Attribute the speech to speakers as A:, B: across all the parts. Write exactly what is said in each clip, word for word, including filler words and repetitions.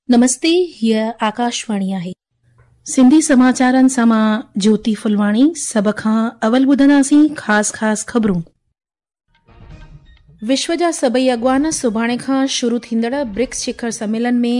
A: نمستي، هيء آڪاشواڻي آهي. سنڌي سماچارن سان مان جيوتي ڦلواڻي. سڀ کان اول ٻڌنداسين خاص خاص خبرون. وشو جا سڀئي اڳواڻ سڀاڻي کان شروع ٿيندڙ برڪس شکر سميلن ۾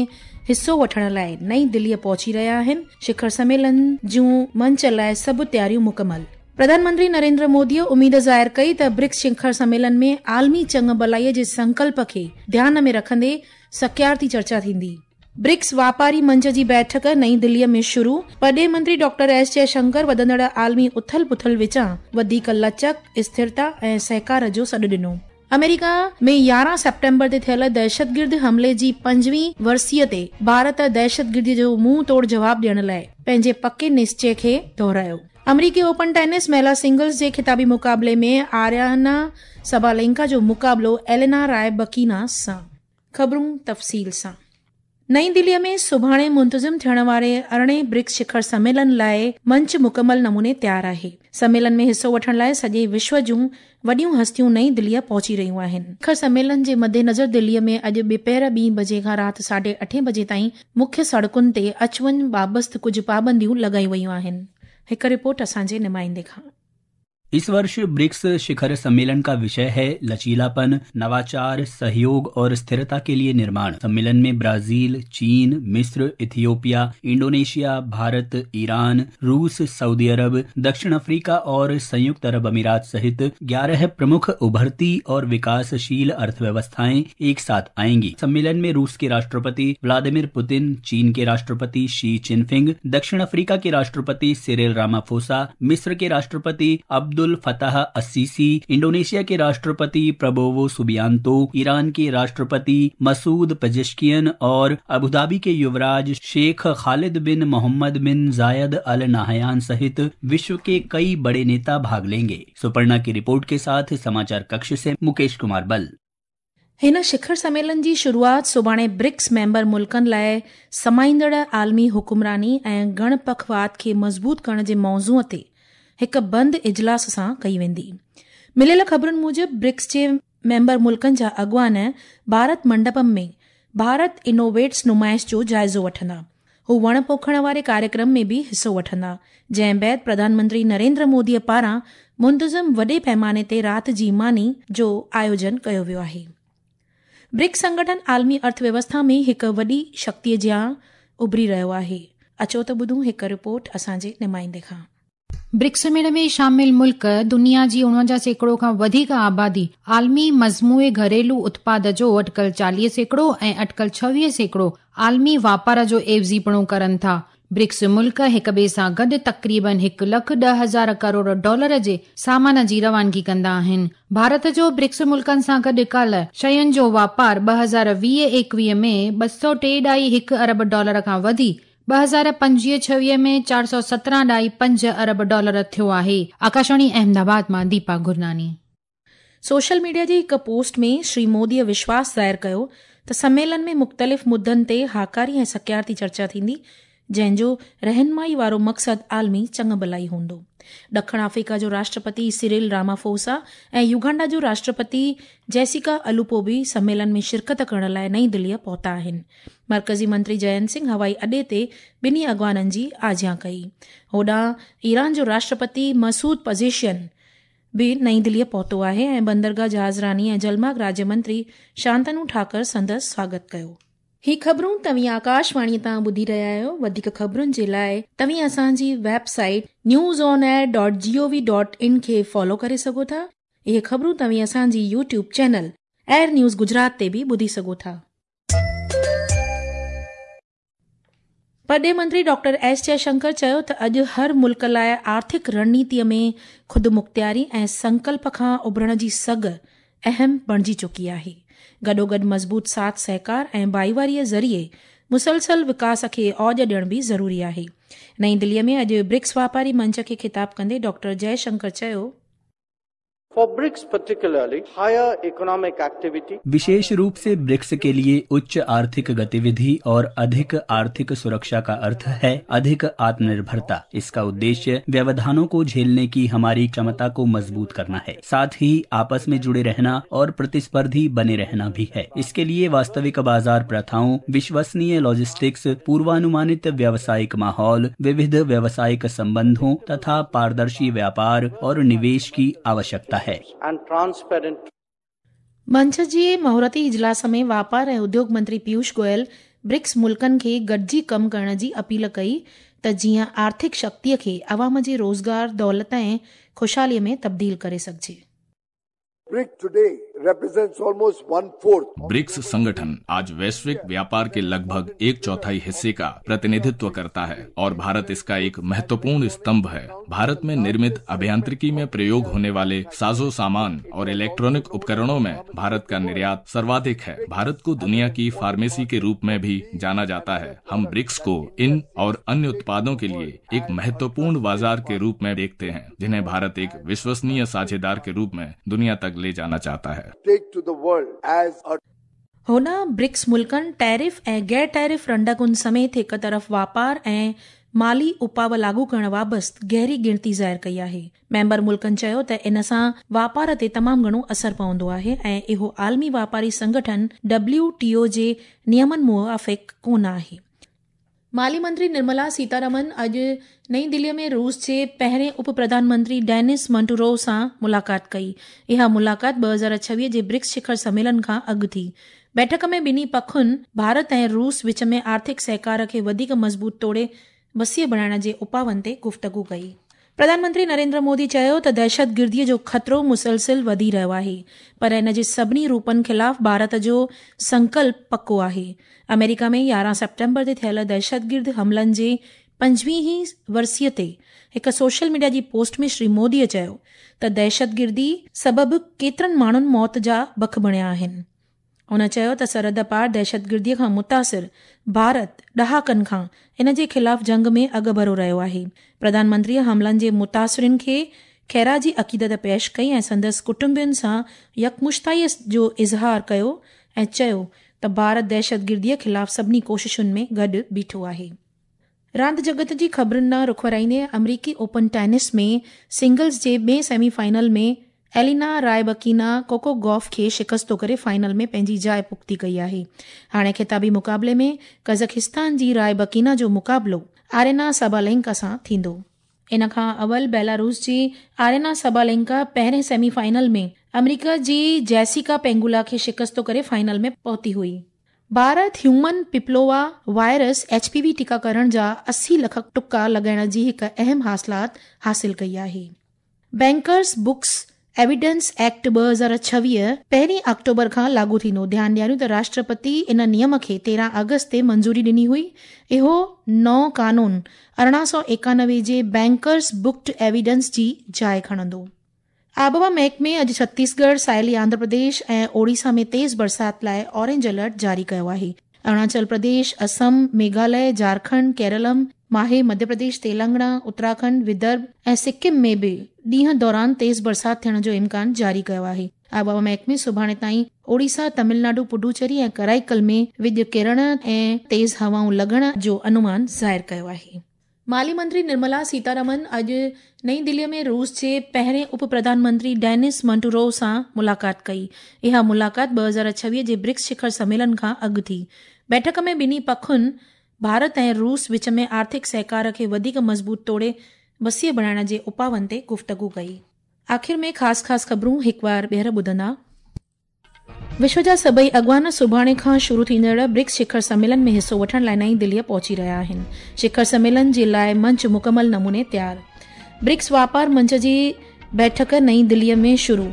A: حصو وٺڻ لاءِ نئين دليءَ پهچي رهيا آهن. شکر سميلن جون منچ لاءِ سڀ تياريون مڪمل. پرڌان منتري نريندر موديءَ اميد ظاهر ڪئي ته برڪس شکر سميلن ۾ عالمي چڱ ڀلائيءَ جي سنڪلپ کي ڌيان ۾ رکندي سڪيارتي چرچا ٿيندي. برڪس واپاري منچ جي بيٺڪ نئين دليءَ ۾ شروع. پرڏيهه منتري ڊاڪٽر ايس جئشنڪر وڌندڙ عالمي اٿل پٿل وچان وڌيڪ لچڪ، اسٿرتا ۽ سهڪار جو سڏ ڏنو. آمريڪا ۾ يارهن سيپٽمبر تي ٿيل دهشتگرد حملي جي پنجويهين ورسيءَ تي ڀارت دهشتگرديءَ جو منهن توڙ جواب ڏيڻ لاءِ پنهنجي پڪي نشچي کي دهرايو. آمريڪي اوپن ٽينس مهلا سنگلز جي خطابي مقابلي ۾ آريانا سبالينڪا جو مقابلو ايلينا راءِ بڪينا سان. خبرون تفصيل سان. نئين دليءَ ۾ سڀاڻي منتظم ٿيڻ واري ارڙهين برڪس شکر سميلن لاءِ منچ مڪمل نموني تيار آهي. سميلن ۾ حصو وٺڻ لاءِ سڄي وشو جون وڏيون هستيون نئين دليءَ پهچي رهيون آهن. شکر سميلن جي مدنظر دليءَ ۾ اڄ ٻپهر ٻين بجي کان رات ساڍي اٺين بجي تائين مکيه سڙڪن تي اچ وڃ بابت ڪجهه پابنديون لڳايون ويون آهن. هڪ رپورٽ اسان جي نمائندي کان.
B: इस वर्ष ब्रिक्स शिखर सम्मेलन का विषय है लचीलापन, नवाचार, सहयोग और स्थिरता के लिए निर्माण। सम्मेलन में ब्राजील, चीन, मिस्र, इथियोपिया, इंडोनेशिया, भारत, ईरान, रूस, सऊदी अरब, दक्षिण अफ्रीका और संयुक्त अरब अमीरात सहित ग्यारह प्रमुख उभरती और विकासशील अर्थव्यवस्थाएं एक साथ आएंगी। सम्मेलन में रूस के राष्ट्रपति व्लादिमीर पुतिन, चीन के राष्ट्रपति शी जिनपिंग, दक्षिण अफ्रीका के राष्ट्रपति सिरिल रामाफोसा, मिस्र के राष्ट्रपति अब्दुल फताह अस्सीसी, इंडोनेशिया के राष्ट्रपति प्रबोवो सुबियांतो, ईरान के राष्ट्रपति मसूद पेजेश्कियन और अबुधाबी के युवराज शेख खालिद बिन मोहम्मद बिन जायद अल नाहयान सहित विश्व के कई बड़े नेता भाग लेंगे। सुपर्णा की रिपोर्ट के साथ समाचार कक्ष से मुकेश कुमार बल।
A: हिन शिखर सम्मेलन जी शुरूआत सुभाणे ब्रिक्स मेंबर मुल्कनि लाइ समाईंदड़ आलमी हुकुमरानी ऐं गणपखवाद खे मज़बूत करण जे मौज़ूअ ते हिकु बंदि इजलास सां कई वेंदी। मिलियल ख़बरुनि मूजिबि ब्रिक्स जे मेंबर मुल्कनि जा अॻवान भारत मंडपम में भारत इनोवेट्स नुमाइश जो जाइज़ो वठंदा। हू वण पोखण वारे कार्यक्रम में बि हिसो वठंदा, जंहिं बाद प्रधानमंत्री नरेंद्र मोदीअ पारां मुंतज़िम वॾे पैमाने ते राति जी मानी जो आयोजन कयो वियो आहे। ब्रिक्स संगठन आलमी अर्थव्यवस्था में हिकु वॾी शक्तिअ जियां उभरी रहियो आहे। अचो त ॿुधूं हिकु रिपोर्ट असांजे नुमाइंदे खां।
C: ब्रिक्स मेड़ में शामिल मुल्क दुनिया जी उणवंजाह सैकड़ो खां वधीक आबादी, आलमी मजमूए घरेलू उत्पाद जो अटकल चालीह सैकड़ो ऐं अटकल छवीह सैकड़ो आलमी वापार जो एवज़ीपणो कनि था। ब्रिक्स मुल्क हिक ॿिए सां गॾु तक़रीबन हिकु लख ॾह हज़ार करोड़ डॉलर जे सामान जी रवानगी कंदा आहिनि। भारत जो ब्रिक्स मुल्कनि सां गॾु काल्ह शयुनि जो वापार ॿ हज़ार वीह एकवीह में ॿ सौ टे ॾाई हिकु अरब डॉलर खां वधी ॿ हज़ार पंजवीह छवीह में चारि सौ सतरहं ॾाई पंज अरब डॉलर थियो आहे। आकाशवाणी अहमदाबाद मां दीपा गुरनानी।
A: सोशल मीडिया जी हिकु पोस्ट में श्री मोदीअ विश्वास ज़ाहिर कयो त सम्मेलन में मुख़्तलिफ़ मुद्दनि ते हाकारी ऐं सकियारती चर्चा थींदी, जंहिंजो रहनुमाई वारो मक़सदु आलमी चङु भलाई हूंदो। ॾखिण अफ्रीका जो राष्ट्रपति सिरिल रामाफोसा ऐं युगांडा जो राष्ट्रपति जेसिका अलूपो बि सम्मेलन में शिरकत करण लाइ नई दिल्लीअ पहुता आहिनि। मर्कज़ी मंत्री जयंत सिंह हवाई अॾे ते ॿिन्ही अॻवाननि जी आजियां कई। होॾां ईरान जो राष्ट्रपति मसूद पज़ेशियन बि नई दिल्लीअ पहुतो आहे ऐं बंदरगाह जहाज़रानी ऐं जलमार्ग राज्य मंत्री शांतनु ठाकुर संदसि स्वागत कयो। ही ख़बरूं तव्हीं आकाशवाणीअ तां ॿुधी रहिया आहियो। वधीक ख़बरुनि जे लाइ तव्हीं असांजी website news on air dot G O V dot in खे फॉलो करे सघो था। इहे ख़बरूं तव्हीं असांजी YouTube channel air news Gujarat ते बि ॿुधी सघो था। परॾेह मंत्री डॉक्टर एस जयशंकर चयो त अॼु हर मुल्क लाइ आर्थिक रणनीतीअ में ख़ुदमुख़्तियारी ऐं संकल्प खां उभरण जी सघ अहम बणिजी चुकी आहे। गॾोगॾु मज़बूत साथ सहकार ऐं भाईवारीअ ज़रिए मुसलसल विकास खे औज ॾियणु बि ज़रूरी आहे। नई दिल्लीअ में अॼु ब्रिक्स वापारी मंच खे ख़िताब कंदे डॉक्टर जयशंकर चयो,
D: For BRICS particularly, higher economic activity.
B: विशेष रूप से ब्रिक्स के लिए उच्च आर्थिक गतिविधि और अधिक आर्थिक सुरक्षा का अर्थ है अधिक आत्मनिर्भरता। इसका उद्देश्य व्यवधानों को झेलने की हमारी क्षमता को मजबूत करना है, साथ ही आपस में जुड़े रहना और प्रतिस्पर्धी बने रहना भी है। इसके लिए वास्तविक बाजार प्रथाओं, विश्वसनीय लॉजिस्टिक्स, पूर्वानुमानित व्यावसायिक माहौल, विविध व्यावसायिक संबंधों तथा पारदर्शी व्यापार और निवेश की आवश्यकता है।
D: And transparent.
A: मंच जे मुहूर्ती इजलास में वापार ऐं उद्योग मंत्री पीयूष गोयल ब्रिक्स मुल्कनि खे गॾिजी कमु करण जी अपील कई त जीअं आर्थिक शक्तीअ खे अवाम जे रोज़गार, दौलत ऐं ख़ुशहालीअ में तब्दील करे सघिजे।
E: BRICS today represents almost one fourth.
F: BRICS संगठन आज वैश्विक व्यापार के लगभग एक चौथाई हिस्से का प्रतिनिधित्व करता है और भारत इसका एक महत्वपूर्ण स्तंभ है। भारत में निर्मित अभियांत्रिकी में प्रयोग होने वाले साजो सामान और इलेक्ट्रॉनिक उपकरणों में भारत का निर्यात सर्वाधिक है। भारत को दुनिया की फार्मेसी के रूप में भी जाना जाता है। हम ब्रिक्स को इन और अन्य उत्पादों के लिए एक महत्वपूर्ण बाजार के रूप में देखते हैं, जिन्हें भारत एक विश्वसनीय साझेदार के रूप में दुनिया तक ले जाना चाहता है।
E: Take to the world as a
A: हुन ब्रिक्स मुल्कनि टैरिफ ऐं गैर टैरिफ रंडकुनि समेत हिकु तरफ़ वापार ऐं माली उपाव लागू करण बाबति गहरी गिणती ज़ाहिर कई आहे। मेंबर मुल्कनि चयो त इन सां वापार ते तमामु घणो असरि पवंदो आहे ऐं इहो आलमी वापारी संगठन डब्ल्यू टी ओ जे नियमनि मुआफ़िक़ कोन आहे। माली मंत्री निर्मला सीतारमन अॼु नई दिल्लीअ में रूस जे पहिरें उप प्रधानमंत्री डेनिस मंटुरोव सां मुलाक़ात कई। इहा मुलाक़ात ॿ हज़ार छवीह जे ब्रिक्स शिखर सम्मेलन खां अॻु थी। बैठक में ॿिन्ही पखुनि भारत ऐं रूस विच में आर्थिक सहकार खे वधीक मज़बूत तोड़े वसीअ बणाइण जे उपावनि ते गुफ़्तगू कई। प्रधानमंत्री नरेंद्र मोदी चयो त दहशतगिर्दीअ जो ख़तरो मुसलसिल वधी रहियो आहे, पर इन जे सभिनी रूपनि ख़िलाफ़ भारत जो संकल्प पको आहे। अमेरिका में यारहं सेप्टेम्बर ते थियल दहशतगिर्द हमलनि जे पंजवीहीं वरसीअ ते हिकु सोशल मीडिया जी पोस्ट में श्री मोदीअ चयो त दहशतगिर्दी सबबु केतिरनि माण्हुनि मौत जा बख बणिया आहिनि। हुन चयो त सरहद पार दहशतगिर्दीअ खां मुतासिर भारत ॾहाकनि खां इन जे ख़िलाफ़ जंग में अॻुभरो रहियो आहे। प्रधानमंत्रीअ हमलनि जे मुतासिरिन खे ख़ैराजी अक़ीदत पेश कई ऐं संदसि कुटुंबियुनि सां यकमुश्ताईअ जो इज़हार कयो ऐं चयो त भारत दहशतगिर्दीअ ख़िलाफ़ सभिनी कोशिशुनि में गॾु बीठो आहे। रांदि जगत जी ख़बरुनि ॾांहुं रुख वराईंदे अमरीकी ओपन टेनिस में सिंगल्स जे ॿिए सेमीफाइनल में एलिना रायबकीना कोको गॉफ खे शिकस्तो करे फाइनल में पंहिंजी जाइ पुख़्ती कई आहे। हाणे ख़िताबी मुक़ाबले में कज़ाकिस्तान जी रायबकीना जो मुक़ाबलो आरेना सबालेंका सां थींदो। इन खां अवल बेलारूस जी आरेना सबालेंका पहिरें सेमीफाइनल में अमरीका जी जेसिका पेंगुला खे शिकस्तो करे फाइनल में पहुती हुई। Bharat human papilloma virus H P V टीकाकरण जा अस्सी लख टुका लॻाइण जी हिकु अहम हासिलात हासिल कई आहे। बैंकर्स बुक्स एविडेंस एक्ट ॿ हज़ार छवीह पहिरीं अक्टूबर खां लागू थींदो। ध्यानु ॾियारियूं त राष्ट्रपति इन नियम खे तेरहं अगस्त ते मंज़ूरी ॾिनी हुई। इहो नओं कानून अरिड़हं सौ एकानवे जे बैंकर्स बुक्ड एविडेंस जी जाइ खणंदो। आबहवा महकमे अॼु छत्तीसगढ़, साहिली आंध्र प्रदेश ऐं ओडिशा में तेज़ बरसाति लाइ ऑरेंज अलर्ट जारी कयो आहे। अरुणाचल प्रदेश, असम, मेघालय, झारखंड, केरलम, माहे, मध्य प्रदेश, तेलंगाना, उत्तराखंड, विदर्भ ऐं सिक्किम में बि ॾींहं दौरान तेज़ बरसाति थियण जो इम्कान जारी कयो आहे। आबहवा महकमे सुभाणे ताईं ओडिशा, तमिलनाडु, पुडुचेरी ऐं कराईकल में विॼ किरण ऐं तेज़ हवाऊं लॻण जो अनुमान ज़ाहिर कयो आहे। माली मंत्री निर्मला सीतारमन अॼु नई दिल्लीअ में रूस जे पहिरें उप प्रधानमंत्री डेनिस मंटुरोव सां मुलाक़ात कई। इहा मुलाक़ात ॿ हज़ार छवीह जे ब्रिक्स शिखर सम्मेलन खां अॻु थी। बैठक में ॿिन्ही पखुनि भारत ऐं रूस विच में आर्थिक सहकार खे वधीक मज़बूत तोड़े वसीअ बणाइण जे उपावनि ते गुफ़्तगू कई। आख़िर में ख़ासि ख़ासि ख़बरूं हिकु बार ॿीहर ॿुधंदा। विश्व जा सभई अॻवान सुभाणे खां शुरू थींदड़ ब्रिक्स शिखर सम्मेलन में हिसो वठण लाइ नई दिल्लीअ पहुची रहिया आहिनि। शिखर सम्मेलन जे लाइ मंच मुकमल नमूने तयार। ब्रिक्स वापार मंच जी बैठक नई दिल्लीअ में शुरू।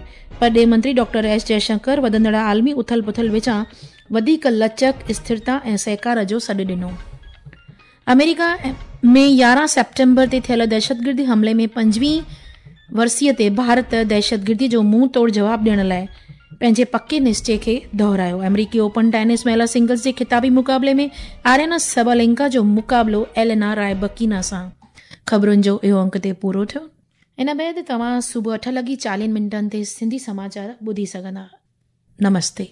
A: परॾेह मंत्री डॉक्टर एस जयशंकर वधंदड़ आलमी उथल पुथल विचां वधीक लचक, स्थिरता ऐं सहकार जो सॾु ॾिनो। अमेरिका में यारहं सेप्टेम्बर ते थियल दहशतगिर्दी हमले में पंजवीं वरसीअ ते भारत दहशतगिर्दी जो मुंहुं तोड़ जवाब ॾियण लाइ पंहिंजे पके निश्चय खे दोहरायो। अमरीकी ओपन टेनिस महिला सिंगल्स जे ख़िताबी मुक़ाबले में आर्यना सबालेंका जो मुक़ाबलो एलेना रायबकीना सां। ख़बरुनि जो इहो अंक ते पूरो थियो। ان بعد توهان صبح اٺ لڳي چاليهن منٽن تي سنڌي سماچار ٻڌي سگهندا. نمستي.